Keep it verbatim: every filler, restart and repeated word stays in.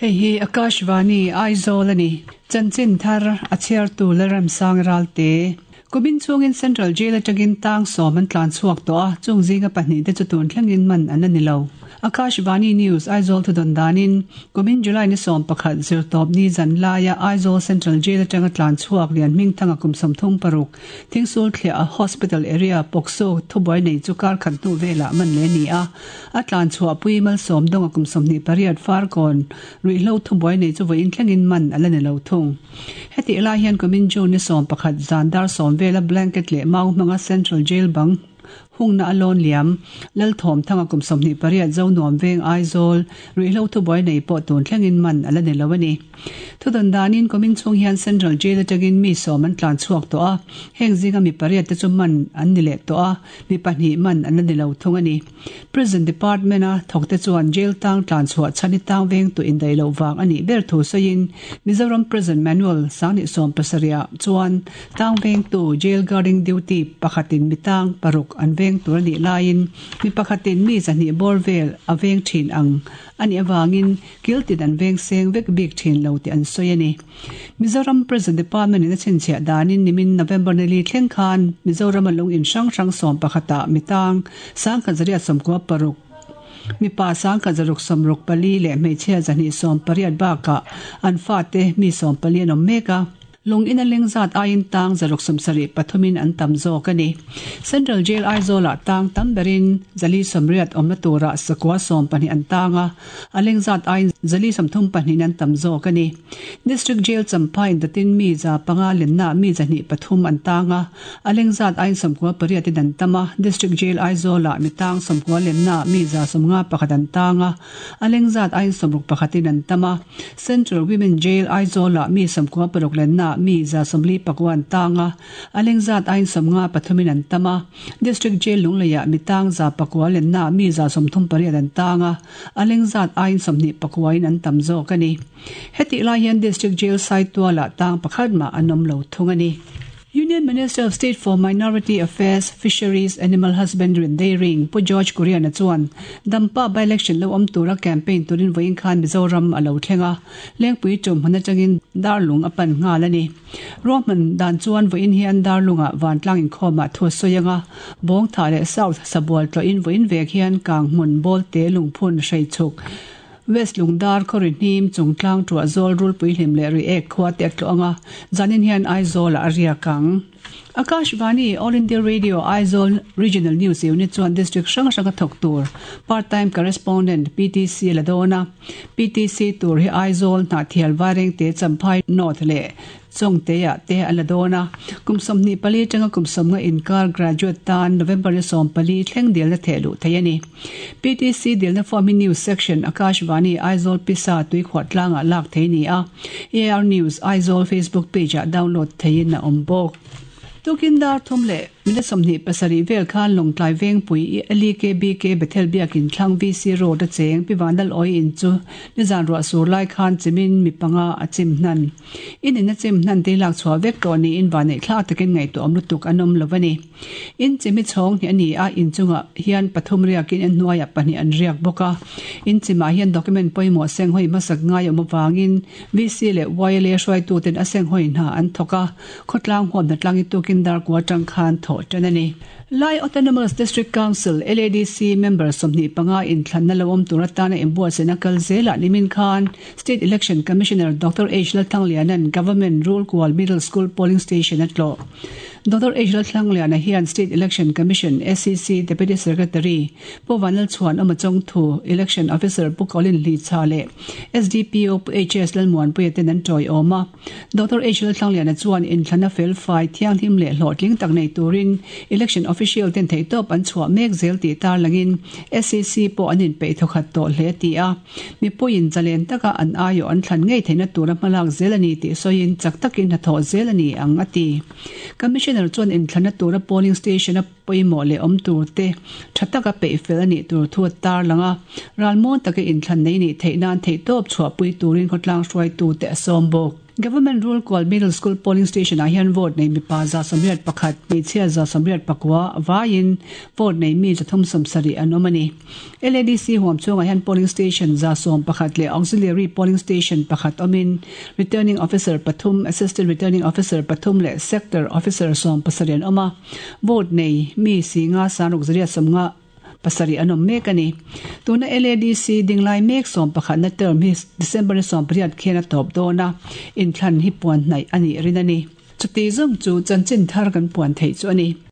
Hei hi Akashvani Aizawl a ni. Chanchin thar a chhiartu Lalremsang Ralte. Kumin chungin Central Jail atangin tang sawm an tlan chhuak tawh a, chung zinga pahnih te chu tun thlengin man an la ni lo. Akashvani News Aizawl thudawn danin kumin July ni sawm pakhat zirtawp ni zan laia Aizawl Central Jail atanga tlan chhuak lian hmingthanga kum sawmthum paruk Thingsul thliah a Hospital area POCSO thubuai nei chu kar khat hnu velah man le ni a, a tlan chhuah pui malsawm dawnga kum sawmhnih pariat farkawn ruihhlo thubuai nei chu vawiin thlengin man a la ni lo thung. Heti lai hian kumin June ni sawm pakhat zan dar sawm vela blanket leh mau hmanga Central Jail bang hungna a lawn liam Lalthawm thanga kum sawmhnih pariat zo nuam veng Aizawl ruihhlo thubuai nei pawh tun thlengin man a la ni lo a ni. Thudawn danin kumin chhung hian Central Jail atangin mi sawm an tlan chhuak tawh a, heng zinga mi pariat te chu man an ni leh tawh a, mi pahnih man an la ni lo thung a ni. Prison Department a thawk te chuan jail tang tlan chhuah chhan hi tang veng tu indaih loh vang a nih ber thu sawiin Mizoram Prison Manual sanghnih sawm pasarih ah chuan tang veng tu jail guarding duty pakhatin mi tang paruk an veng tur a nih laiin mi pakhatin mi zahnih bawr vel a veng thin ang a nih avangin kiltin an veng seng vek bik thin lo tih an sawi a ni. Mizoram Prison Department in a chhinchhiah danin nimin November ni li thleng khan Mizoram a lung in hrang hrang sawm pakhatah mi tang sangkhat zariat sawmkua paruk mipa sangkhat zaruk sawmruk pali leh hmeichhia zahnih sawm pariat bakah an fate mi sawm pali an awm mek a. Lung in a leng zat aiin tang zaruk sawmsarih pathumin an tam zawk a ni. Central Jail Aizawlah tang tam berin zali sawmriat awmna turah sakua sawm pahnih an tang a, a leng zat aiin zali sawmthum pahnihin an tam zawk a ni. District Jail Champhai indatin mi za panga lenna mi zahnih pathum an tang a, a leng zat aiin sawmkua pariatin an tam a. District Jail Aizawlah mi tang sawmkua lenna mi za sawmnga pakhat an tang a, a leng zat aiin sawmruk pakhatin an tam a. Central Women Jail Aizawlah mi sawmkua paruk lenna mi za sawmli pakua an tang a, a leng zat aiin sawmnga pathumin an tam a. District Jail Lungleiah mi tang za pakua lenna mi za sawmthum pariat an tang a, a leng zat aiin sawmhnih pakuain an tam zawk a ni. Hetih lai hian District Jail Saitualah tang pakhat mah an awm lo thung a ni. Union Minister of State for Minority Affairs, Fisheries, Animal Husbandry and Dairying Pu George Kurian-a chuan Dampa by-election lo awm tura campaign turin vawiin khan Mizoram a lo thleng a, Lengpui tum hmun atangin Darlung a pan nghal a ni. Ruahman dan chuan vawiin hian Darlungah vantlang inkhawmah thu a sawi anga, Bawngtha leh South Sabual tlawhin vawiin vek hian Kanghmun, Bawlte, Lungphun, Hreichuk, West Lungdar, Khawri hnim, Chungtlang tuah zawl rulpui hlim leh Reiek khua te a tlawh anga, zanin hian Aizawlah a riak ang. Akashvani, All India Radio, Aizawl Regional News Unit chuan District hrang hrang a thawk tur Part Time Correspondent, P T C, la dawn a. P T C tur hi Aizawl, Hnahthial, Vairengte, Champhai North leh Chawngteah te a la dawn a. Kum sawmhnih pali atanga kum sawmnga inkar graduate tan November ni sawm pali thleng dilna theh luh thei a ni. P T C dilna form hi News Section, Akashvani, Aizawl Pisa tuikhuah tlangah lak thei ni a. A R News, Aizawl Facebook page-ah download theiin a awm bawk. Tukin dar thum leh minute sawmhnih pasarih vel khan Lawngtlai Vengpui L E K B K Bethel Biakin thlang V C Road a cheng Pi Vanlal Awi in chu nizan ruah sur lai khan chimin mi panga a chim hnan. In in a chim hnan te lak chhuah vek tawh niin van neih thlak takin ngaihtuah awm lutuk an awm lo a ni. In chimi chhawng hi a ni a, in chungah hian pathum riakin a hnuaiah pahnih an riak bawk a. In chimah hian document pawimawh senghawi hmasak ngai awm avangin V C leh Y L A hruaituten a senghawi hna an thawk a, khawtlang huamna tlang i tukin darkua atang khan thawh tan a ni. Lai Autonomous District Council, L A D C, member sawmhnih panga inthlanna lo awm tur atana inbuatsaihna kal zelah nimin khan State Election Commissioner Doctor H Lalthangliana'n Government Rulkual Middle School Polling Station a tlawh. Doctor H Lalthangliana hian State Election Commission, S E C, Deputy Secretary Pu Vanlalchhuan Awma Chawngthu, Election Officer Pu Colin Hlicha leh S D P O Pu H S Lalmuanpuia ten an tawiawm a. Doctor H Lalthangliana chuan inthlana fel fai thianghlim leh hlawhtling tak nei turin Election Official ten theihtawp an chhuah mek zel tih tarlangin S E C pawh an inpeih thawkhat tawh hle ti a. Mipuiin zalen taka an aiawh an thlan ngei theihna tura hmalak zel a ni tih sawiin chak takin hnathawh zel a ni ang a ti. Commissioner chuan inthlana tura polling station a pawimawh leh awm tur te tha taka peih fel a nih tur thu a tarlang a, ralmuang taka inthlan nei nih theih nan theihtawp chhuahpui turin khawtlang hruaitu te a sawm bawk. Government Rulkual Middle School Polling Station ah hian vote nei mipa za sawmriat pakhat, hmeichhia za sawmriat pakua vaiin vote nei mi zathum sawmsarih an awm a ni. LADC huam chhungah hian Polling Station za sawm pakhat leh Auxiliary Polling Station pakhat awmin Returning Officer pathum, Assistant Returning Officer pathum leh Sector Officer sawm pasarih an awm a. Vote nei mi singa sangruk zariat sawmnga pasarih an awm mek a ni. Tuna LADC dinglai mek sawm pakhatna term hi December ni sawm pariat khian a tawp dawn a, inthlan hi puan hnaih a nih rin a ni. Chuti zawng chu chanchin thar kan puan theih chu a ni.